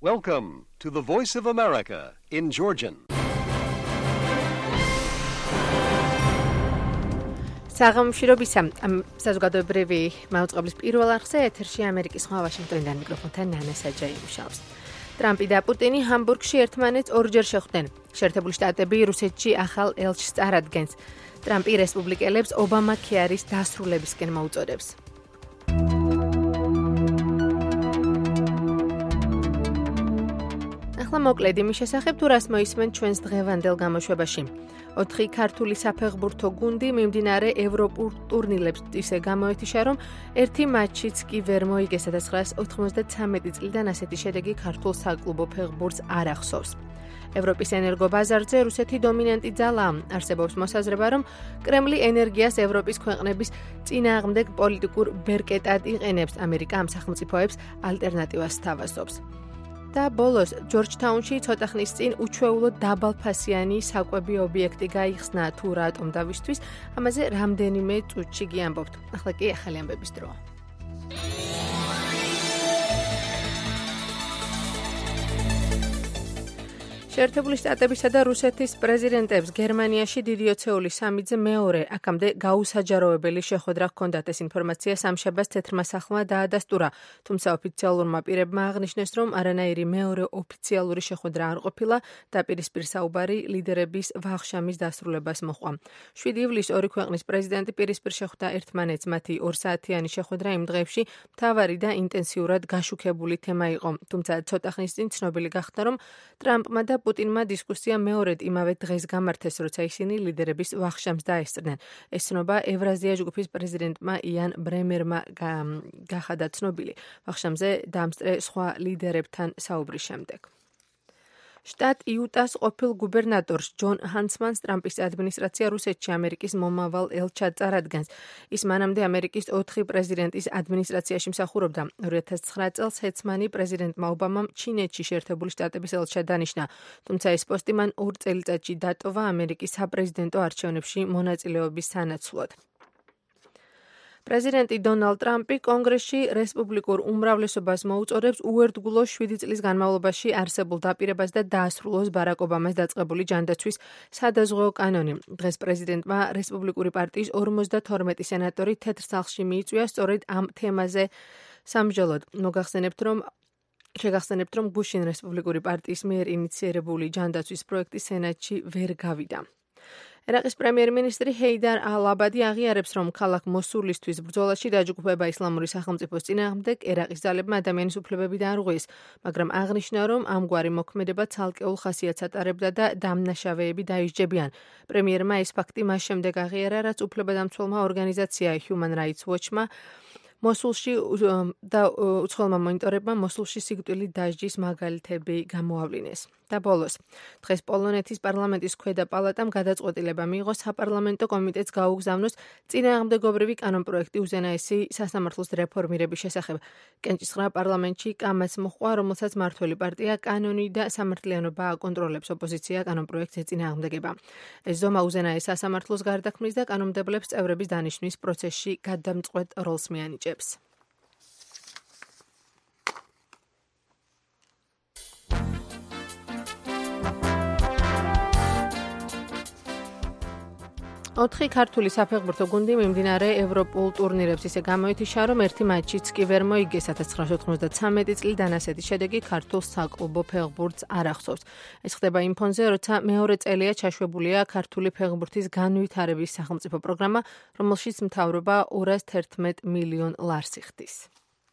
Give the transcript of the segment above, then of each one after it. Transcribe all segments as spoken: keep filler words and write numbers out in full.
Welcome to the Voice of America in Georgian. საღამოშრობისა საზოგადოებრივი მაუწყებლის პირველ არხზე ეთერში ამერიკის ხმა ვაშინგტონიდან მიკროფონთან ნანა საჯაი მუშაობს. ტრამპი და პუტინი ჰამბურგში ერთმანეთს ორჯერ შეხვდნენ. შეერთებული შტატები რუსეთში ახალ ელჩს წარადგენს. ტრამპი რესპუბლიკელებს ობამა ქეარის დასრულებისკენ მოუწოდებს. ახლა მოკლედ იმის შესახებ თუ რას მოისმენ ჩვენს დღევანდელ გამოშვებაში. ოთხი ქართული საფეხბურთო გუნდი მიმდინარე ევროპულ ტურნირებს ისე გამოეთიშა, რომ ერთი მატჩიც კი ვერ მოიგეს და ცხრა ათას ოცდათრამეტი წლიდან ასეთი შედეგი ქართულ საკლუბო ფეხბურთს არ ახსოვს. ევროპის ენერგობაზარზე რუსეთი დომინანტი ძალაა. არსებობს მოსაზრება, რომ კრემლი ენერგიას ევროპის ქვეყნების წინააღმდეგ პოლიტიკურ ბერკეტად იყენებს. ამერიკა ამ სახელმწიფოებს ალტერნატივას სთავაზობს. და ბოლოს ჯორჯთაუნში ცოტა ხნის წინ უჩვეულო დაბალფასიანი საკვები ობიექტი გაიხსნა თუ რატომ დავისთვის, ამაზე რამდენიმე წუთში გიამბობთ. ახლა კი ახალი ამბების დროა. შეერთებული შტატებისა და რუსეთის პრეზიდენტებს გერმანიაში დიდი ოცეული სამიძე მეორე აქამდე გაუსაჯაროებელი შეხვედრა ჰქონდათ. ეს ინფორმაცია სამშაბათს თეთრმა სახლმა დაადასტურა, თუმცა ოფიციალურმა პირებმა აღნიშნეს, რომ არანაირი მეორე ოფიციალური შეხვედრა არ ყოფილა და პირისპირ საუბარი ლიდერების ვახშამის დასრულებას მოჰყვა. შვიდი ივლისს ორი ქვეყნის პრეზიდენტი პირისპირ შეხვდა ერთმანეთს. მათი ორსაათიანი შეხვედრა იმ დღეებში მთავარი და ინტენსიურად გაშუქებული თემა იყო. თუმცა ცოტა ხნის წინ ცნობილი გახდა, რომ ტრამპმა და პუტინმა დისკუსია მეორედ იმავე დღეს გამართეს, როცა ისინი ლიდერების ვახშამს დაესწრნენ. ეს ცნობა ევრაზია ჯგუფის პრეზიდენტმა იან ბრემერმა გახადა ცნობილი ვახშამზე დამსწრე სხვა ლიდერებთან საუბრის შემდეგ. შტატ იუტას ყოფილ გუბერნატორს ჯონ ჰანსმანს ტრამპის ადმინისტრაცია რუსეთში ამერიკის მომავალ ელჩად წარადგენს. ის მანამდე ამერიკის ოთხი პრეზიდენტის ადმინისტრაციაში მსახურობდა. ორი ათას ცხრა წელს ჰენსმანი პრეზიდენტმა ობამამ ჩინეთში შეერთებული შტატების ელჩად დანიშნა, თუმცა ეს პოსტი მან ორ წელიწადში დატოვა ამერიკის საპრეზიდენტო არჩევნებში მონაწილეობის სანაცვლოდ. პრეზიდენტი დონალდ ტრამპი კონგრესში რესპუბლიკურ უმრავლესობას მოუწოდებს უერთგულოს შვიდი წლის განმავლობაში არსებულ დაპირებას და დაასრულოს ბარაკ ობამას დაწყებული ჯანდაცვის სადაზღვეო კანონი. დღეს პრეზიდენტმა რესპუბლიკური პარტიის ორმოცდათორმეტი სენატორი თეთრ სახლში მიიწვია სწორედ ამ თემაზე სამსჯელოდ. მოგახსენებთ, რომ შეგახსენებთ, რომ გუშინ რესპუბლიკური პარტიის მიერ ინიცირებული ჯანდაცვის პროექტი სენატში ვერ გავიდა. ერაყის პრემიერ-მინისტრი ჰეიდარ ალ-აბადი აღიარებს, რომ ქალაქ მოსულისთვის ბრძოლაში დაჯგუფება ისლამური სახელმწიფოს წინააღმდეგ ერაყის ძალებმა ადამიანის უფლებები დაარღვიეს, მაგრამ აღნიშნა, რომ ამგვარი მოქმედება ცალკეულ ხასიათს ატარებდა და დამნაშავეები დაისჯებიან. პრემიერმა ეს ფაქტი მას შემდეგ აღიარა, რაც უფლებადამცველმა ორგანიზაცია Human Rights Watch-მა მოსულში და უცხოელმა მონიტორებმა მოსულში სიკვდილით დასჯის მაგალითები გამოავლინეს. და ბოლოს, დღეს პოლონეთის პარლამენტის ქვედა პალატამ გადაწყვეტილება მიიღო საპარლამენტო კომიტეტს გაუგზავნოს წინააღმდეგობრივი კანონპროექტი უზენაესი სასამართლოს რეფორმირების შესახებ. კენჭისყრა პარლამენტში კამაც მოჰყვა, რომელსაც მმართველი პარტია კანონი და სამართლიანობა აკონტროლებს. ოპოზიცია კანონპროექტს ეწინააღმდეგება. ეს ზომა უზენაეს სასამართლოს გარდაქმნის და კანონმდებლებს წევრების დანიშვნის პროცესში გადამწყვეტ როლს მიანიჭებს. ოთხი ქართული საფეხბურთო გუნდი მიმდინარე ევროპულ ტურნირებს ისე გამოეთიშა, რომ ერთი მატჩიც კი ვერ მოიგეს. ათას ცხრაას ოცდათრამეტი წლიდან ასეთი შედეგი ქართულ საკლუბო ფეხბურთს არ ახსოვს. ეს ხდება იმ ფონზე, როცა მეორე წელია ჩაშვებულია ქართული ფეხბურთის განვითარების სახელმწიფო პროგრამა, რომელშიც მთავრობა ორას თერთმეტ მილიონ ლარს იხდის.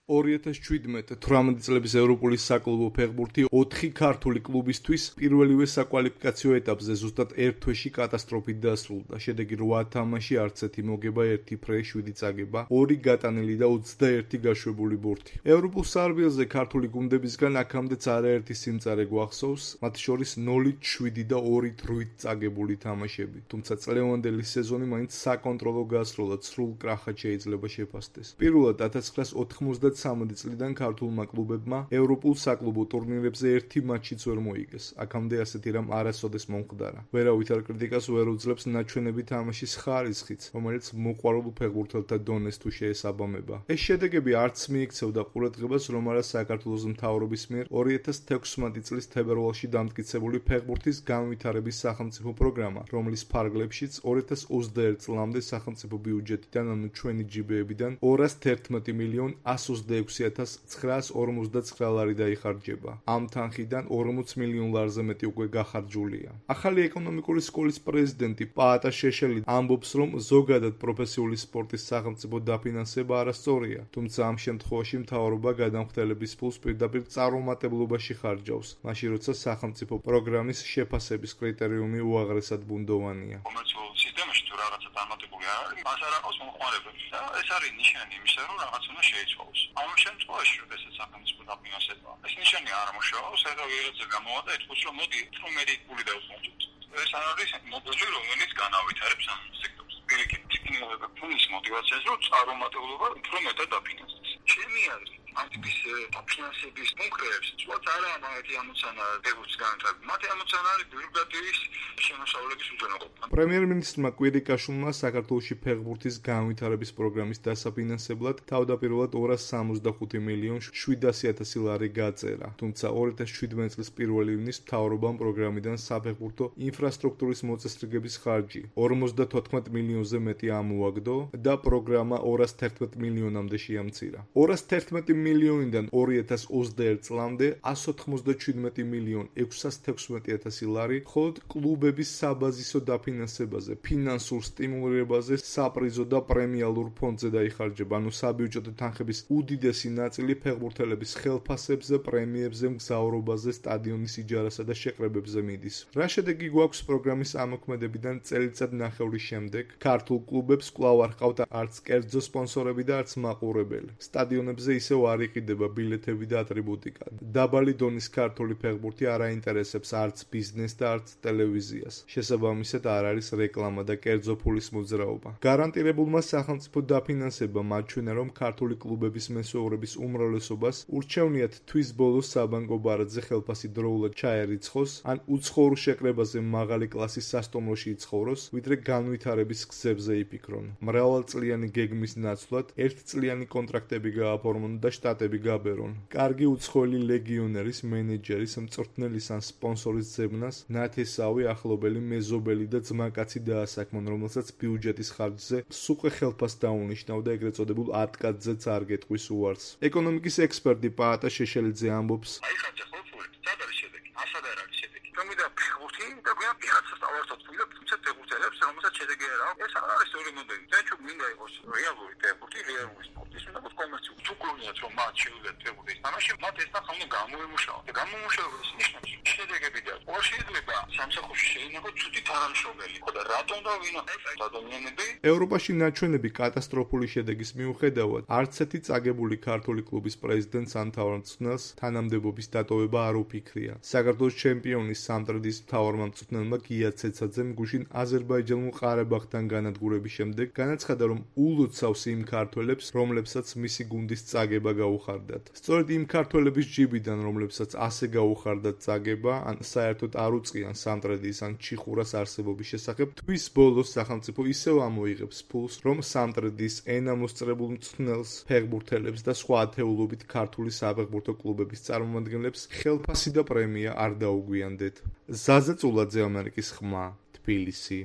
ორი ათას შვიდმეტ თვრამეტი წლების ევროპული საკლუბო ფეხბურთი ოთხი ქართული კლუბისთვის პირველივე საკვალიფიკაციო ეტაპზე ზუსტად ერთ თვეში კატასტროფით დასრულდა. შედეგი რვა თამაში, არც ერთი მოგება, ერთი ფრე, შვიდი წაგება, ორი გატანილი და ოცდაერთი გაშვებული ბურთი. ევროპულ სარბიელზე ქართული გუნდებისგან აქამდეც არაერთი სიმწარე გვახსოვს, მათ შორის ნოლით შვიდი და ორით რვით წაგებული თამაშები. თუმცა წლევანდელი სეზონი მაინც საკონტროლო გასროლად სრულ კრახად შეიძლება შეფასდეს. პირველად ათას ცხრაას ოთხმოცდა ოცდაათი წლიდან ქართულმა კლუბებმა ევროპულ საკლუბო ტურნირებზე ერთი მატჩიც ვერ მოიგეს. აქამდე ასეთი რამ არასოდეს მომხდარა. ვერავითარ კრიტიკას ვერ უძლებს ნაჩვენები თამაშის ხარისხიც, რომელიც მოყვარულ ფეხბურთელთა დონეს თუ შეესაბამება. ეს შედეგები არც მიიქცევდა ყურადღებას, რომ არა საქართველოს მთავრობის მიერ ორი ათას თექვსმეტი წლის თებერვალში დამტკიცებული ფეხბურთის განვითარების სახელმწიფო პროგრამა, რომლის ფარგლებშიც ორი ათას ოცდაერთი წლამდე სახელმწიფო ბიუჯეტიდან, ანუ ჩვენი ჯიბეებიდან ორას თერთმეტი მილიონ ასი ოცდაექვსი ათას ცხრაას ორმოცდაცხრა ლარი დაიხარჯება. ამ თანხიდან ორმოც მილიონ ლარზე მეტი უკვე გახარჯულია. ახალი ეკონომიკური სკოლის პრეზიდენტი პაატა შეშელი ამბობს, რომ ზოგადად პროფესიული სპორტის სახელმწიფო დაფინანსება არასწორია, თუმცა ამ შემთხვევაში მთავრობა გადამხდელების ფულს პირდაპირ წარუმატებლობაში ხარჯავს, მაშინ როცა სახელმწიფო პროგრამის შეფასების კრიტერიუმი უაღრესად ბუნდოვანია. კომერციულ სისტემაში თუ რაღაცა დამატებული არ არის, მას არ აქვს მომხმარებელი და ეს არის ნიშანი იმისა, რომ რაღაც უნდა შეიცვალოს. ამ შემთხვევაში, როდესაც სახელმწიფო დაფინანსება, ეს ნიშანი არ მუშაობს, ახლა ვიღაცა გამოვა და ეთქოს, რომ მოდი თორმეტი პული დავსვამოთ. ეს არის მოდელი, რომელიც განავითარებს ამ სექტორს. პირიქით, ტექნოლოგია ფულის მოტივაციას, რომ წარუმატებლობა უფრო მეტად დაფინანსდეს. ჩემი აზრით, ამ ტიპის დაფინანსების კონკრეტებს, ვთქვათ, არა მაგათი ამოცანა ფეხბურთის განვითარება. მათი ამოცანა არის ბიუროკრატიის შემოსავლების უზრუნველყოფა. პრემიერ-მინისტრმა კვირიკაშვილმა საქართველოში ფეხბურთის განვითარების პროგრამის დასაფინანსებლად თავდაპირველად ორას სამოცდახუთი მილიონ შვიდასი ათასი ლარი გაწერა, თუმცა ორი ათას შვიდმეტი წლის პირველი ივნის მთავრობამ პროგრამიდან საფეხბურთო ინფრასტრუქტურის მოწესრიგების ხარჯი ორმოცდათოთხმეტ მილიონზე მეტი ამოაგდო და პროგრამა ორას თერთმეტ მილიონამდე შეამცირა. ორას თერთმეტი მილიონიდან ორი ათას ოცდაერთი წლამდე ასი ოცდაშვიდმეტი მილიონ ექვსას თექვსმეტი ათასი ლარი მხოლოდ კლუბების საბაზისო დაფინანსებაზე, ფინანსურ სტიმულირებაზე, საპრიზო და პრემიალურ ფონდზე დაიხარჯება, ანუ საბიუჯეტო თანხების უდიდესი ნაწილი ფეხბურთელების ხელფასებზე, პრემიებზე, მგზავრობაზე, სტადიონის იჯარასა და შეყრებებზე მიდის. რა შედეგი გვაქვს პროგრამის ამოქმედებიდან წელიწად ნახევრის შემდეგ? ქართულ კლუბებს კვლავ არ ჰყავთ არც კერძო სპონსორები და არც მაყურებელი. სტადიონებზე ისევ არ იყიდება ბილეთები და ატრიბუტიკა. დაბალი დონის ქართული ფეხბურთი არ აინტერესებს არც ბიზნესს და არც ტელევიზიას. შესაბამისად არ არის რეკლამა და კერძო ფულის მოძრაობა. გარანტირებულმა სახელმწიფო დაფინანსებამ აჩვენა, რომ ქართული კლუბების მესვეურების უმრავლესობას ურჩევნიათ თვის ბოლოს საბანკო ბარათზე ხელფასი დროულად ჩაერიცხოს, ან უცხოურ შეკრებაზე მაღალი კლასის სასტუმროში იცხოვროს, ვიდრე განვითარების გზებზე იფიქრონ. მრავალწლიანი გეგმის ნაცვლად ერთწლიანი კონტრაქტები გააფორმონ და შტატები გაბერონ. კარგი უცხოელი ლეგიონერის, მენეჯერის, მწვრთნელის ან სპონსორის ძებნას ნათესავი, ახლობელი, მეზობელი და ძმაკაცი დაასაქმონ, რომელსაც ბიუჯეტის ხარჯზე სუყე ხელფას დაუნიშნავ და ეგრეთ წოდებულ ატკაძეც არ გეტყვის უარს. ეკონომიკის ექსპერტი პაატა შეშელიძე ამბობს: აიხარჯა ხო ფული, სად არის შედეგი? ასად არ არის შედეგი. თუმცა ფეხბურთი და გვიან ფეხაცას ავართოთ ფული და თუმცა ფეხბურთელებს რომელსაც შედეგი არ აქვს, ეს არ არის ორი მოდელი. დაჩუ მინდა იყოს რეალური ფეხბურთი, რეალური სპორტი, უნდა იყოს კომერციული. თუ გონიათ რომ მათ შეუძლიათ ფეხბურთის თამაში, მათ ეს ნახა უნდა გამოემუშავა. და გამომუშავების ნიშნავს შედეგები და ორ შეიძლება სამსახურში შეინახო ცუდი თანამშრომელი. და რატომ და ვინ ეს ადამიანები? ევროპაში ნაჩვენები კატასტროფული შედეგის მიუხედავად, არც ერთი წაგებული ქართული კლუბის პრეზიდენტს ან მთავრმწვრთნელს თანამდებობის დატოვება არ უფიქრია. საქართველოს ჩემპიონის სამტრედის მთავარმა მწვრთნელმა გია ცეცაძემ გუშინ აზერბაიჯანულ ყარაბაღთან განადგურების შემდეგ განაცხადა, რომ ულოცავს იმ ქართველებს, რომლებსაც მისი გუნდის წაგება გაუხარდათ. სწორედ იმ ქართველების ჯიბიდან, რომლებსაც ასე გაუხარდათ წაგება, ან საერთოდ არ უწყიან სამტრედის ან ჩიხურას არსებობის შესახებ, თვის ბოლოს სახელმწიფო ისევ ამოიღებს ფულს, რომ სამტრედის ენა მოსწრებულ მწვრთნელს, ფეხბურთელებს და სხვა ათეულობით ქართული საფეხბურთო კლუბების წარმომადგენლებს ხელფასი და პრემია არ დაუგვიანდეთ. ზაზა წულაძე, ამერიკის ხმა, თბილისი.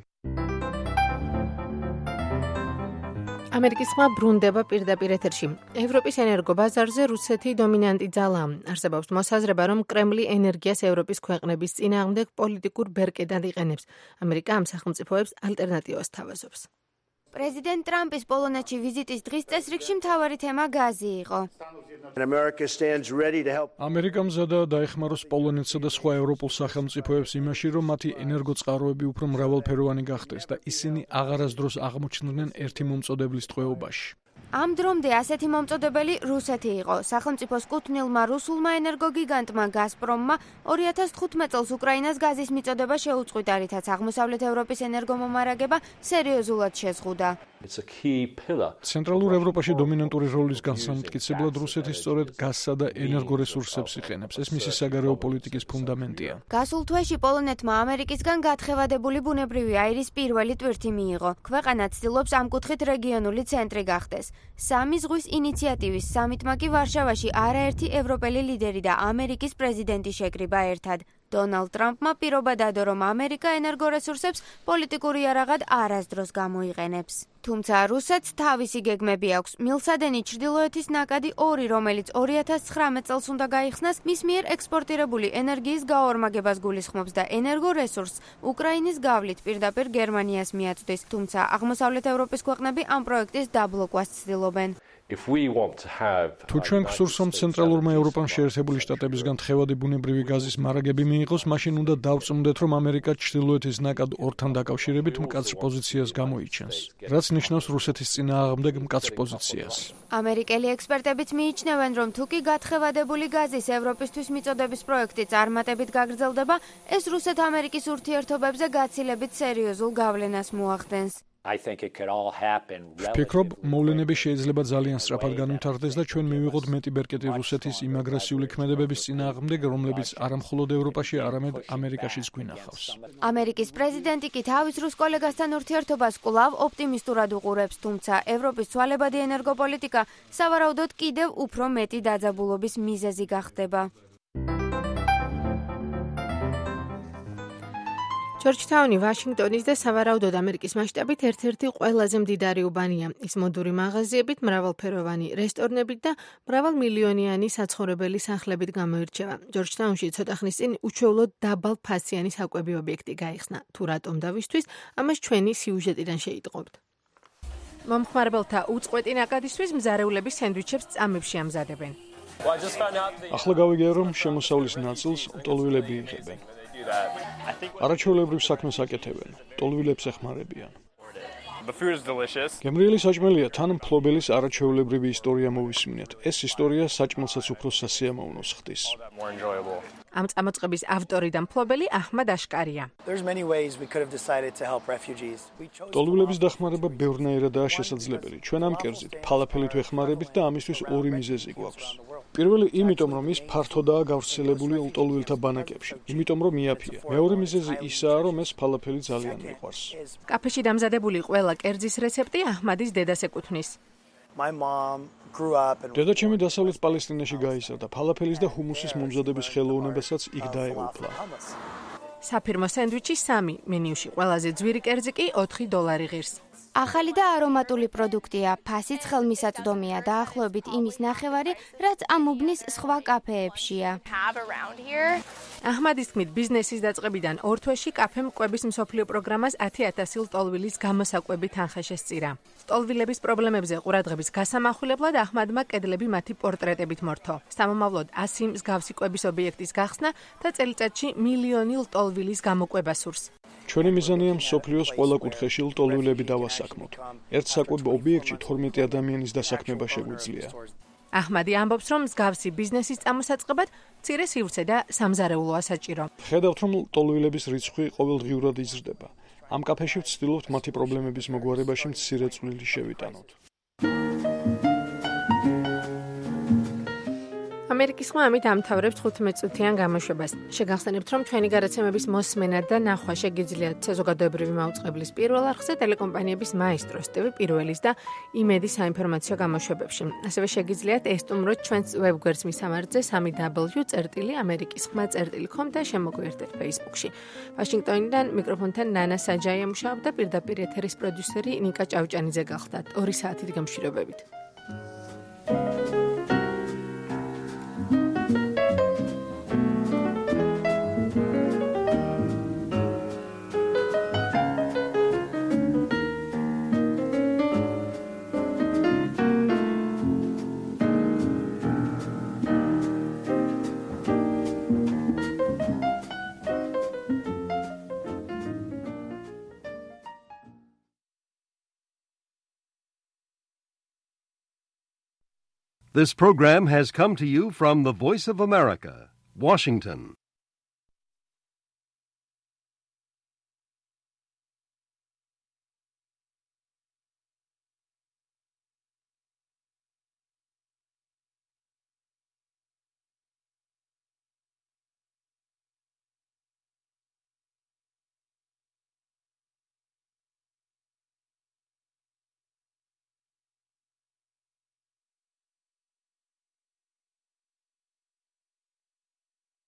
ამერიკის ხმა ბრუნდება პირდაპირ ეთერში. ევროპის ენერგო ბაზარზე რუსეთი დომინანტი ძალაა. არსებობს მოსაზრება, რომ კრემლი ენერგიას ევროპის ქვეყნების წინააღმდეგ პოლიტიკურ ბერკეტად იყენებს. ამერიკა ამ სახელმწიფოებს ალტერნატივას თავაზობს. პრეზიდენტ ტრამპის პოლონეთში ვიზიტის დღის წესრიგში მთავარი თემა გაზი იყო. ამერიკა მზადაა დაეხმაროს პოლონეთსა და სხვა ევროპულ სახელმწიფოებს იმაში, რომ მათი ენერგოწყაროები უფრო მრავალფეროვანი გახდეს და ისინი აღარასდროს აღმოჩნდნენ ერთი მომწოდებლის ტყვეობაში. ამ დრომდე ასეთი მომწოდებელი რუსეთი იყო. სახელმწიფოს კუთვნილმა რუსულმა ენერგოგიგანტმა გაზპრომმა ორი ათას თხუთმეტ წელს უკრაინას გაზის მიწოდება შეუწყვიტა, რითაც აღმოსავლეთ ევროპის ენერგომომარაგება სერიოზულად შეზღუდა. ცენტრალურ ევროპაში დომინანტური როლის განსამტკიცებლად რუსეთი სწორედ გაზსა და ენერგორესურსებს იყენებს. ეს მისი საგარეო პოლიტიკის ფუნდამენტია. გასულ თვეში პოლონეთმა ამერიკისგან გათხევადებული ბუნებრივი აირის პირველი ტვირთი მიიღო. ქვეყანა ცდილობს ამ კუთხით რეგიონული ცენტრი გახდეს. სამი ზღვის ინიციატივის სამიტმა კი ვარშავაში არაერთი ევროპელი ლიდერი და ამერიკის პრეზიდენტი შეკრიბა ერთად. დონალდ ტრამპმა პირობა დადო, რომ ამერიკა ენერგორესურსებს პოლიტიკური იარაღად არასდროს გამოიყენებს. თუმცა რუსეთს თავისი გეგმები აქვს. მილსადენი ჩრდილოეთის ნაკადი ორი, რომელიც ორი ათას ცხრამეტ წელს უნდა გაიხსნას, მის მიერ ექსპორტირებული ენერგიის გაორმაგებას გულისხმობს და ენერგორესურსს უკრაინის გავლით პირდაპირ გერმანიას მიაწვდის. თუმცა აღმოსავლეთ ევროპის ქვეყნები ამ პროექტის დაბლოკვას ცდილობენ. თუ ჩვენ გსურს, რომ ცენტრალურმა ევროპამ შეერთებული შტატებისგან თხევადი ბუნებრივი გაზის მარაგები მიიღოს, მაშინ უნდა დავწმუნდეთ, რომ ამერიკა ჩრდილოეთის ნაკად ორთან დაკავშირებით მკაცრ პოზიციას გამოიჩენს, რაც ნიშნავს რუსეთის წინააღმდეგ მკაცრ პოზიციას. ამერიკელი ექსპერტებიც მიიჩნევენ, რომ თუ კი გათხევადებული გაზის ევროპისთვის მიწოდების პროექტი წარმატებით გაგრძელდება, ეს რუსეთ-ამერიკის ურთიერთობებზე გაცილებით სერიოზულ გავლენას მოახდენს. ვფიქრობ, მოვლენები შეიძლება ძალიან სწრაფად განვითარდეს და ჩვენ მივიღოთ მეტი ბერკეტი რუსეთის იმ აგრესიული ქმედებების წინააღმდეგ, რომლებიც არა მხოლოდ ევროპაში, არამედ ამერიკაშიც გვინახავს. ამერიკის პრეზიდენტი კი თავის რუს კოლეგასთან ურთიერთობას კვლავ ოპტიმისტურად უყურებს, თუმცა ევროპის ცვალებადი ენერგოპოლიტიკა სავარაუდოდ კიდევ უფრო მეტი დაძაბულობის მიზეზი გახდება. ჯორჯთაუნი ვაშინგტონის და სავარაუდოდ ამერიკის მასშტაბით ერთ-ერთი ყველაზე მდიდარი უბანია. ის მოდური მაღაზიებით, მრავალფეროვანი რესტორნებით და მრავალმილიონიანი საცხოვრებელი სახლებით გამოირჩევა. ჯორჯთაუნში ცოტა ხნის წინ უჩვეულოდ დაბალ ფასიანი საკვები ობიექტი გაიხსნა. თუ რატომ და ვისთვის, ამას ჩვენი სიუჟეტიდან შეიტყობთ. მომხმარებელთა უწყვეტი ნაკადისთვის მზარეულები სენდვიჩებს წამებში ამზადებენ. ახლა გავიგე, რომ შემოსავლის ნაწილს ლტოლვილები იღებენ. არაჩვეულებრივ საქმეს აკეთებენ, ლტოლვილებს ეხმარებიან. გემრიელი საჭმელია, თან მფლობელის არაჩვეულებრივი ისტორია მოვისმინეთ. ეს ისტორია საჭმელსაც უფრო სასიამოვნოს ხდის. ამ წამოწყების ავტორი და მფლობელი აჰმად აშკარია. ლტოლვილების დახმარება ბევრნაირადაა შესაძლებელი. ჩვენ ამ კერძით ფალაფელით ვეხმარებით და ამისთვის ორი მიზეზი გვაქვს. პირველი იმიტომ, რომ ის ფართოდაა გავრცელებული ლტოლვილთა ბანაკებში, იმიტომ რომ იაფია. მეორე მიზეზი ისაა, რომ ეს ფალაფელი ძალიან მიყვარს. კაფეში დამზადებული ყველა კერძის რეცეპტი აჰმადის დედას ეკუთვნის. დედაჩემი დასავლეთ პალესტინაში გაიზარდა, ფალაფელის და ჰუმუსის მომზადების ხელოვნებასაც იქ დაეუფლა. საფირმო სენდვიჩი სამი, მენიუში ყველაზე ძვირი კერძი კი ოთხი დოლარი ღირს. ახალი და არომატული პროდუქტია, ფასიც ხელმისაწვდომია, დაახლოებით იმის ნახევარი, რაც ამ უბნის სხვა კაფეებშია. აჰმადის თქმით, ბიზნესის დაწყებიდან ორ თვეში კაფემ კვების მსოფლიო პროგრამას ათი ათასი ლტოლვილის გამოსაკვები თანხა შესწირა. ლტოლვილების პრობლემებზე ყურადღების გასამახვილებლად აჰმადმა კედლები მათი პორტრეტებით მორთო. სამომავლოდ ასი მსგავსი კვების ობიექტის გახსნა და წელიწადში მილიონი ლტოლვილის გამოკვება სურს. ჩვენი მიზანია მსოფლიოს ყველა კუთხეში ლტოლვილები დავასაქმოთ. ერთ საკვებ ობიექტში თორმეტი ადამიანის დასაქმება შეგვიძლია. აჰმადი ამბობს, რომ მსგავსი ბიზნესის წამოსაწყებად მცირე სივრცე და სამზარეულოა საჭირო. ხედავთ, რომ ლტოლვილების რიცხვი ყოველდღიურად იზრდება. ამ კაფეში ვცდილობთ მათი პრობლემების მოგვარებაში მცირე წვლილი შევიტანოთ. ამერიკის ხმა ამით ამთავრებს თხუთმეტ წუთიან გამოშვებას. შეგახსენებთ, რომ ჩვენი გადაცემების მოსმენა და ნახვა შეგიძლიათ საზოგადოებრივი მაუწყებლის პირველ არხზე, ტელეკომპანიების მაესტროს, ტივ პირველის და იმედის საინფორმაციო გამოშვებებში. ასევე შეგიძლიათ ესტუმროთ ჩვენს ვებგვერდს მისამართზე სამი დაბლიუ წერტილი ამერიკის ხმა წერტილი კომ და შემოგვიერთეთ Facebook-ში. ვაშინგტონიდან მიკროფონთან ნანა საჯაია მუშაობდა, პირდაპირ ეთერის პროდიუსერი ნიკა ჭავჭანიძე გახლდათ. ორი საათით გამშვიდობებით. This program has come to you from the Voice of America, Washington.